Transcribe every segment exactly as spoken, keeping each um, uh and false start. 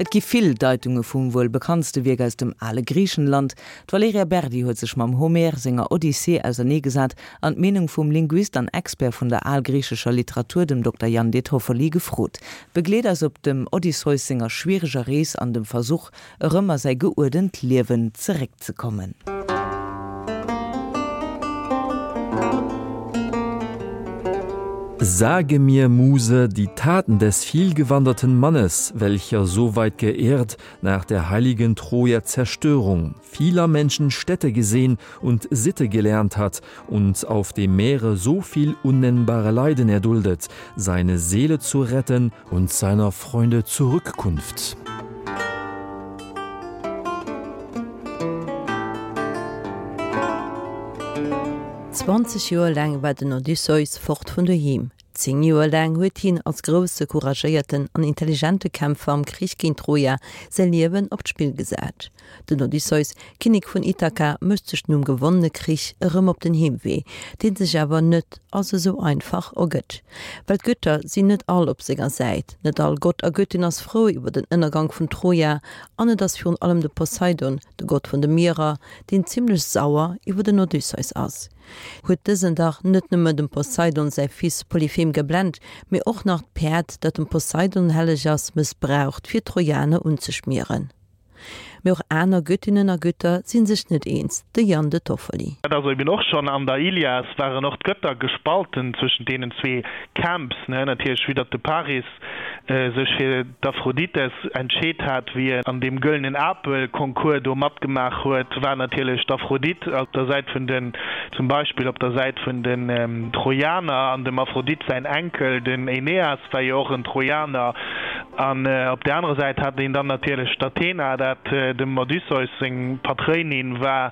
Et gi vill Deitunge vum wuel bekanntste Wierk aus dem ale Griichenland. D'Valerija Berdi huet sech mam Homer senger Odyssee auserneegesat an d'Meenung vum Linguist an Expert vun der algriichescher Literatur, dem Dokter Jan De Toffoli, gefrot. Begleet eis op dem Odysseus senger schwiereger Rees an dem Versuch, erëm a säi geuerdent Liewen zeréckzekommen. Sage mir, Muse, die Taten des vielgewanderten Mannes, welcher so weit geirrt nach der heiligen Troja Zerstörung, vieler Menschen Städte gesehen und Sitte gelernt hat und auf dem Meere so viel unnennbare Leiden erduldet, seine Seele zu retten und seiner Freunde Zurückkunft. Zwanzeg Joer laang war den Odysseus fort vun doheem. Zéng Joer laang huet hien als grousse, couragéierten an intelligente Kämpfer am Krich géint Troja säi Liewen op d'Spill gesat. Den Odysseus, Kinnek vun Ithaka, mécht sech nom gewonnene Krich erëm op den Heemwee, deen sech awer net als esou einfach ergëtt. Well d'Götter sinn net all op senger Säit, net all Gott a Göttin ass frou iwwer den Ënnergank vun Troja an et ass virun allem de Poseidon, de Gott vun de Mierer, deen zimmlech sauer iwwer den Odysseus ass. Huet dësen dach net nëmme dem Poseidon säi Fils Polyphem geblent, mee och nach d'Päerd, dat dem Poseidon helleg ass, mëssbraucht, fir d'Trojaner unzeschmieren. Mee och aner Göttinnen a Götter si sech net eens, de Jan De Toffoli. Dat ass eben och schonn an der Ilias waren och d'Götter gespalten zwëschent deenen zwee Camps, ne, natierlech wéi datt de Paris sech fir d'Aphrodites entscheet hat, wéi en an deem gëllenen Apel-Concours do matgemaach huet, war natierlech d'Aphrodite op der Säit vun den, zum Beispill op der Säit vun den Trojaner, an dem Aphrodite säin Enkel, den Aeneas, war jo och en Trojaner. An op där anerer Säit hat een dann natierlech d'Athena, dat dem Odysseus seng Patréinin war.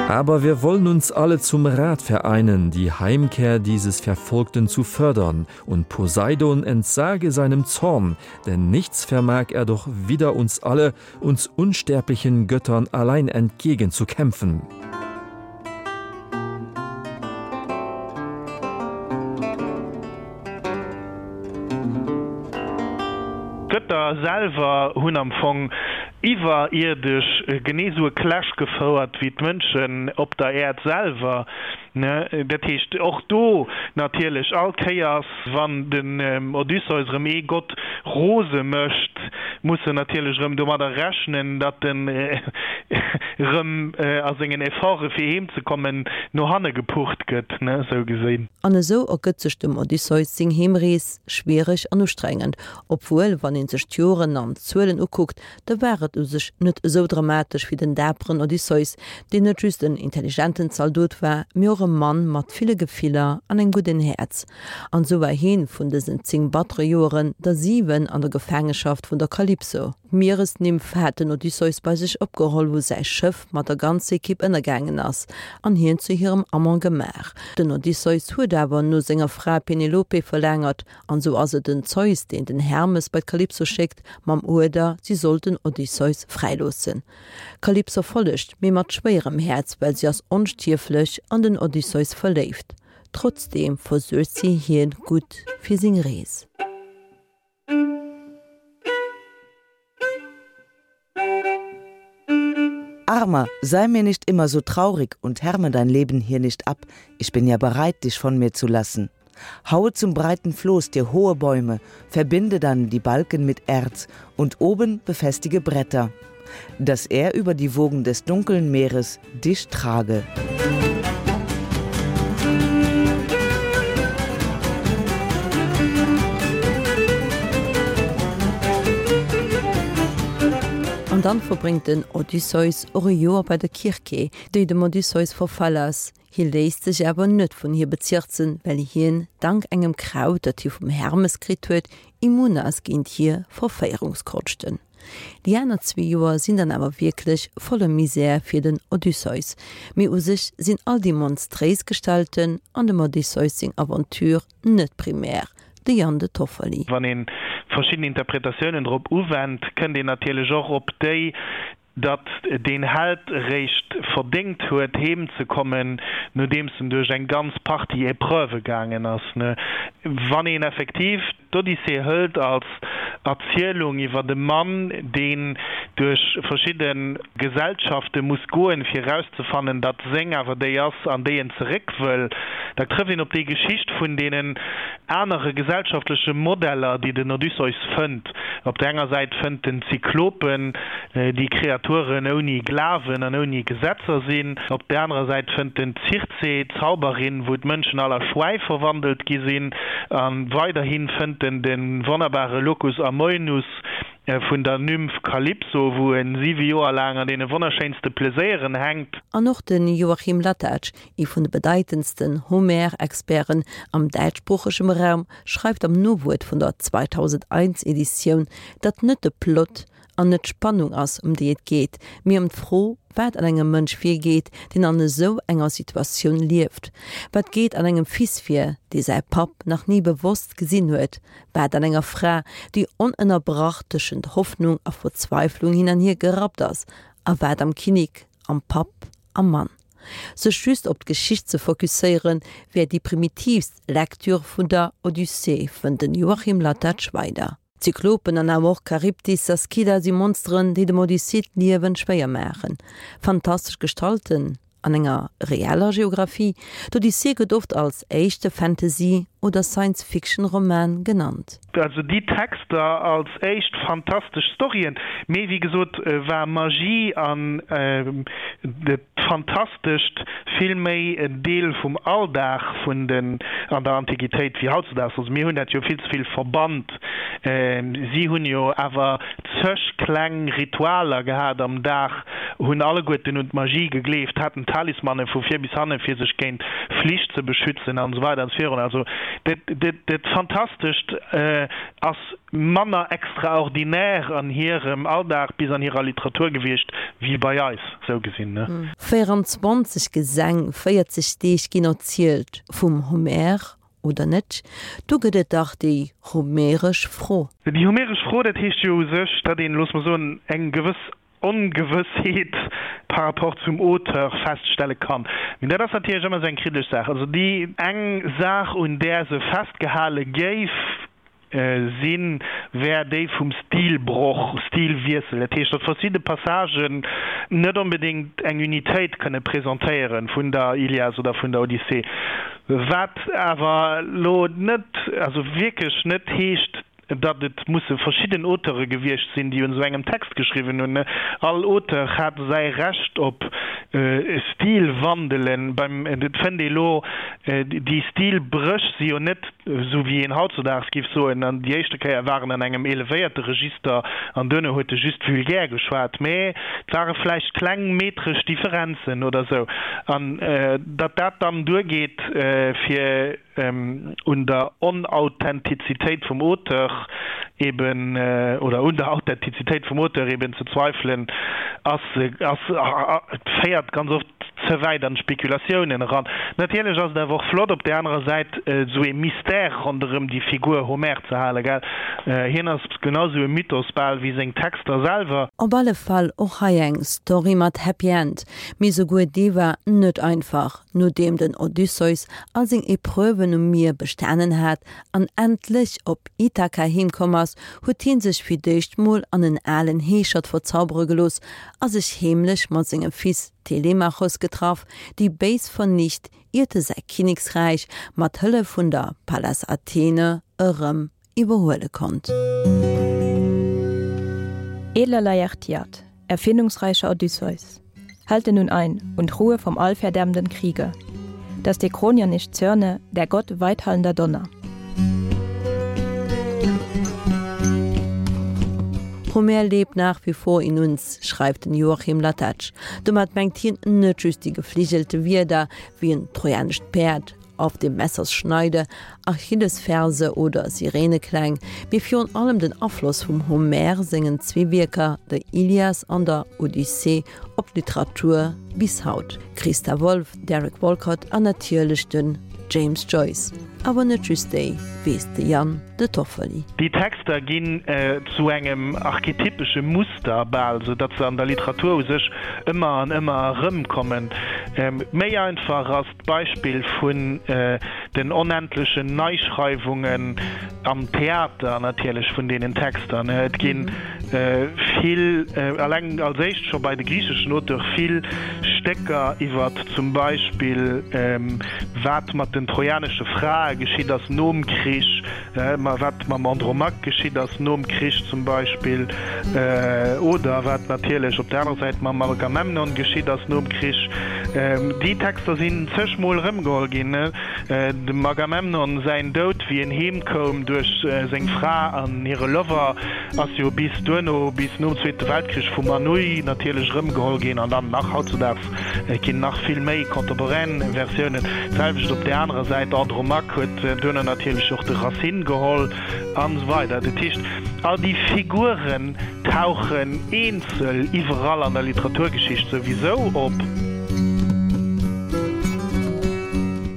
Aber wir wollen uns alle zum Rat vereinen, die Heimkehr dieses Verfolgten zu fördern, und Poseidon entsage seinem Zorn, denn nichts vermag er doch wider uns alle, uns unsterblichen Göttern allein entgegenzukämpfen. D'Götter selwer hunn am Fong iwwerierdesch genee esou e Clash gefouert wéi d'Mënschen op der Äerd selwer. Dat heescht, och do natierlech, all Kéiers wann den Odysseus erëm ee Gott rose mécht, muss en natierlech erëm domadder rechnen, datt en erëm a sengen Efforte fir heem ze kommen no hanne gepucht gëtt, esou gesinn. An esou ergëtt sech dem Odysseus seng Heemrees schwiereg an ustrengend, obwuel, wann een sech d'Joren an d'Zuelen ukuckt, da war et u sech net esou dramatesch fir den daperen Odysseus, deen net just en intelligenten Zaldot war, mee och e Mann mat ville Gefiller an engem gudden Häerz. An esou war hien vun dësen zéng battere Joeren der siwen an der Gefaangeschaft vun der Kalypso. D'Mieresnymph hat den Odysseus bei sech opgeholl, wou säi Schëff mat der ganzer Ekipp ënnergaangen ass, an hien zu hirem Amant gemaach. Den Odysseus huet awer no senger Fra Penelope verlaangert, an esou ass et den Zeus, deen den Hermes bei d'Kalypso schéckt, mam Uerder, si soll den Odysseus fräiloossen. D'Kalypso follegt, mee mat schwéierem Häerz, well si ass onstierflech an den Odysseus verléift. Trotzdeem versuergt si hien gutt fir seng Rees. Armer, sei mir nicht immer so traurig und härme dein Leben hier nicht ab, ich bin ja bereit, dich von mir zu lassen. Haue zum breiten Floß dir hohe Bäume, verbinde dann die Balken mit Erz und oben befestige Bretter, dass er über die Wogen des dunkeln Meeres dich trage. An dann verbréngt den Odysseus och e Joer bei der Kirke, déi dem Odysseus verfall ass. Hie léisst sech awer net vun hir bezirzen, well hien, dank engem Kraut, dat hie vum Hermes kritt huet, immun ass géint hir Verféierungskonschten. Déi aner zwee Joer sinn dann awer wierklech voller Misär fir den Odysseus. Mee u sech sinn all déi monstréis Gestalten an dem Odysseus seng Aventure net primär. De Jan De Toffoli. Wann ee verschidden Interpretatiounen drop uwennt, kënnt een natierlech och op déi, datt deen Held eréischt verdéngt huet, heem ze kommen, nodeems en duerch eng ganz Partie Epreuvë gaangen ass. Wann een effektiv d'Odyssee hëlt als Erzielung iwwer e Mann, deen duerch verschidde Gesellschafte muss goen, fir erauszefannen, datt seng awer déi ass, an déi en zeréck wëll, da trëfft een op déi Geschicht vun deenen anere gesellschaftleche Modeller, déi den Odysseus fënnt. Op der enger Säit fënnt en d'Zyklopen, déi Kreaturen ouni Glawen an ouni Gesetzer sinn. Op der anerer Säit fënnt en d'Circe, d'Zauberin, wou d'Mënschen all a Schwäi verwandelt gi sinn. A weiderhi fënnt en de wonnerbare Locus Amoenus vun der Nymph Kalypso, wou e siwe Joer laang an deene wonnerschéinste Pleséieren hänkt. An och de Joachim Latacz, ee vun de bedeitendsten Homer-Experten am däitschsproochegem Raum, schreift am Nowuert vun der zweitausendeins Editioun, datt net de Plot an net d'Spannung ass, ëm déi et geet, mee ëm d'Fro, wat an engem Mënsch virgeet, deen an esou enger Situatioun lieft. Wat geet an engem Fils vir, dee säi Papp nach ni bewosst gesinn huet? Wat an enger Fra, déi onënnerbrach tëschent Hoffnung a Verzweiflung hin an hier gerappt ass? A wat am Kinnek, am Papp, am Mann? Sech just op d'Geschicht ze fokusséieren, wär déi primitiivst Lektür vun der Odyssee, fënnt den Joachim Latacz weider. D'Zyklopen an awer och Charybdis a Skylla si Monsteren, déi dem Odyssee d'Liewen schwéier maachen. Fantastesch Gestalten an enger reeller Geografie, D'Odyssee gëtt oft als éischte Fantasy oder Science-Fiction-Roman genannt. Also déi Texter als éischt fantastesch Storyen, mee wéi gesot war Magie an dat Fantastescht vill méi en Deel vum Alldag vun den an der Antiquitéit wéi hautzedaags. Also mir hunn dat jo vill ze vill verbannt. Si hunn jo awer zeg kleng Ritualer gehat am Dag, hunn alleguerten un d'Magie gegleeft, haten Talismanen vu vir bis hanne fir sech géint Flich ze beschützen an esou weider an esou virun. Also dat, dat, dat Fantastescht ass manner extraordinär an hirem Alldag bis an hirer Literatur gewiescht wéi bei eis, esou gesinn, ne? véieranzwanzeg Gesäng, véierzeg Deeg ginn erzielt, vum Homer oder net? Do gëtt et dach déi homeresch Fro. Déi homeresch Fro, dat heescht jo u sech, datt een, loosse mer soen, eng gewëss Ongewëssheet par rapport zum Auteur feststelle kann. Mee dat ass natierlech ëmmer esou eng kriddeleg Saach. Also déi eng Saach, un där se festgehale géif sinn, wär déi vum Stilbroch, Stilwiessel. Dat heescht, datt verschidde Passagen net onbedéngt eng Unitéit kënne presentéiere vun der Ilias oder vun der Odyssee. Wat awer elo net, also wierklech net heescht, datt et musse verschidden Auteure gewiescht sinn, déi un esou engem Text geschriwwen hunn. All Auteur hat säi Recht op Stilwandelen. Beim, et fënnt ee lo, déi Stilbréch si jo net, esou wéi een hautzudaags géif soen, an déi éischte Kéier war en an engem elevéierte Register an duerno huet e just vulgär geschwat, mä et ware vläicht kleng metresch Differenzen oder esou. An datt dat dann duergeet, fir un der Onauthentizitéit vum Auteur eben, oder un der Authentizitéit vum Auteur eben ze zweifelen, ass, ass, féiert ganz oft ze wäit an d'Spekulatiounen eran. Natierlech ass et awer och flott, op där anerer Säit esou ee Mystère ronderëm déi Figur Homer ze halen, gell? Hien ass genau esou e Mythos bal wéi seng Texter selwer. Op alle Fall och hei eng Story mat Happy End, mee souguer dee war net einfach. Nodeem den Odysseus all seng Epreuven um Mier bestanen hat an endlech op Ithaka heemkomm ass, huet hien sech fir d'éischt mol an en alen Heeschert verzaubere gelooss a sech heemlech mat sengem Fils Telemachos getraff, déi béis vernicht, iert e säi Kinneksräich mat Hëllef vun der Pallas Athene erëm iwwerhuele konnt. Edler Laertiad, erfindungsreicher Odysseus, halte nun ein und ruhe vom allverderbenden Kriege, dass der Kronier nicht zürne, der Gott weithallender Donner. Homer lebt nach wie vor in uns, schreift den Joachim Latacz. Domat mengt hien net just déi gefligelte Wierder wéi en trojanescht Päerd, Auf dem Messers Schneide, Achillesferse oder Sirenekläng, mee virun allem den Afloss vum Homer sengen zwee Wierker, der Ilias an der Odyssee, op d'Literatur bis haut, Christa Wolf, Derek Walcott an natierlech de James Joyce. Awer net just déi, weess de Yann De Toffoli. Déi Texter ginn zu engem archetypesche Muster bal, sou datt se an der Literatur u sech ëmmer an ëmmer erëmkommen. Méi einfach ass d'Beispill vun den onendlechen Neischreiwungen am Theater natierlech vun deenen Texter. Et gi vill, eleng als éischt scho bei de griicheschen Auteure vill Stécker iwwer zum Beispill wat mat den trojanesche Frae geschitt ass nom Krich, wat mam Andromaque geschitt ass nom Krich zum Beispill, oder wat natierlech op der anerer Säit mam Agamemnon geschitt ass nom Krich. Déi Texter sinn zeg Mol erëmgeholl ginn. Dem Agamemnon säin Doud, wéi en heem koum duerch seng Fra an hire Lover, ass jo bis duerno, bis nom Zweete Weltkrich vum Anouilh natierlech erëmgeholl ginn an dann nach hautzudaags ginn nach vill méi contemporain Versiounen. D'selwecht op där anerer Säit, Andromaque huet duerno natierlech och de Racine geholl an esou weider. Dat heescht, all déi Figuren tauchen eenzel iwwerall an der Literaturgeschicht souwisou op.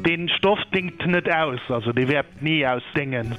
Dee Stoff dingt net aus, also dee wäert ni ausdéngen.